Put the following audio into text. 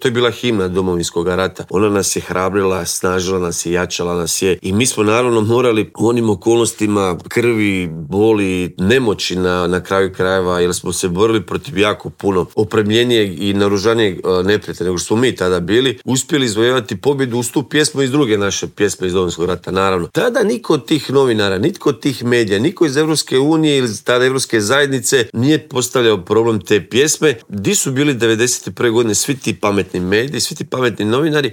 To je bila himna Domovinskog rata. Ona nas je hrabrila, snažila nas je, jačala nas je i mi smo naravno morali u onim okolnostima krvi, boli, nemoći na kraju krajeva, jer smo se borili protiv jako puno opremljenijeg i naoružanijeg neprijatelja nego što smo mi tada bili, uspjeli izvojevati pobjedu uz tu pjesmu iz druge naše pjesme iz Domovinskog rata, naravno. Tada niko od tih novinara, nitko od tih medija, niko iz Evropske unije ili tada Evropske zajednice nije postavljao problem te pjesme. Di su bili 91. godine svi ti pametni mediji, svi ti pametni novinari